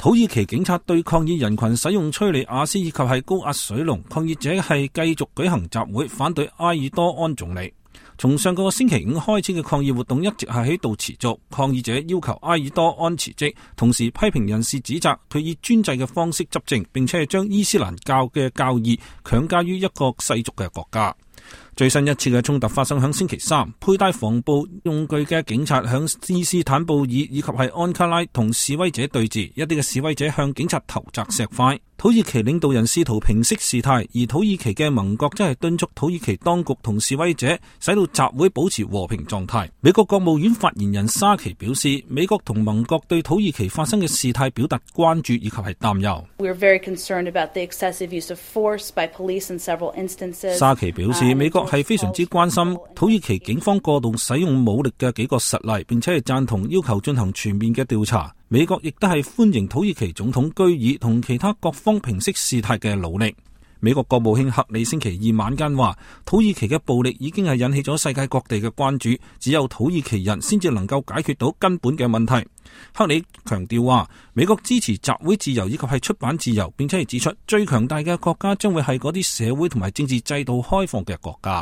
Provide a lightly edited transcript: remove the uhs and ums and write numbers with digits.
土耳其警察對抗議人群使用催淚瓦斯以及係高壓水龍，抗議者係繼續舉行集會反對埃爾多安總理。從上個星期五開始嘅抗議活動一直係喺度持續，抗議者要求埃爾多安辭職，同時批評人士指責佢以專制嘅方式執政，並且係將伊斯蘭教嘅教義強加於一個世俗嘅國家。最新一次嘅衝突發生響星期三，佩戴防暴用具嘅警察響伊斯坦布爾以及係安卡拉同示威者對峙，一啲嘅示威者向警察投擲石塊。土耳其領導人試圖平息事態，而土耳其嘅盟國則係敦促土耳其當局同示威者使到集會保持和平狀態。美國國務院發言人沙奇表示，美國同盟國對土耳其發生嘅事態表達關注以及係擔憂。沙奇表示，美國係非常之關心土耳其警方過度使用武力嘅幾個實例，並且係贊同要求進行全面嘅調查。美國亦都係歡迎土耳其總統居爾同其他各方平息事態嘅努力。美國國務卿克里星期二晚間話，土耳其嘅暴力已經係引起咗世界各地嘅關注，只有土耳其人先至能夠解決到根本嘅問題。克里強調話，美國支持集會自由以及係出版自由，並且係指出最強大嘅國家將會係嗰啲社會同埋政治制度開放嘅國家。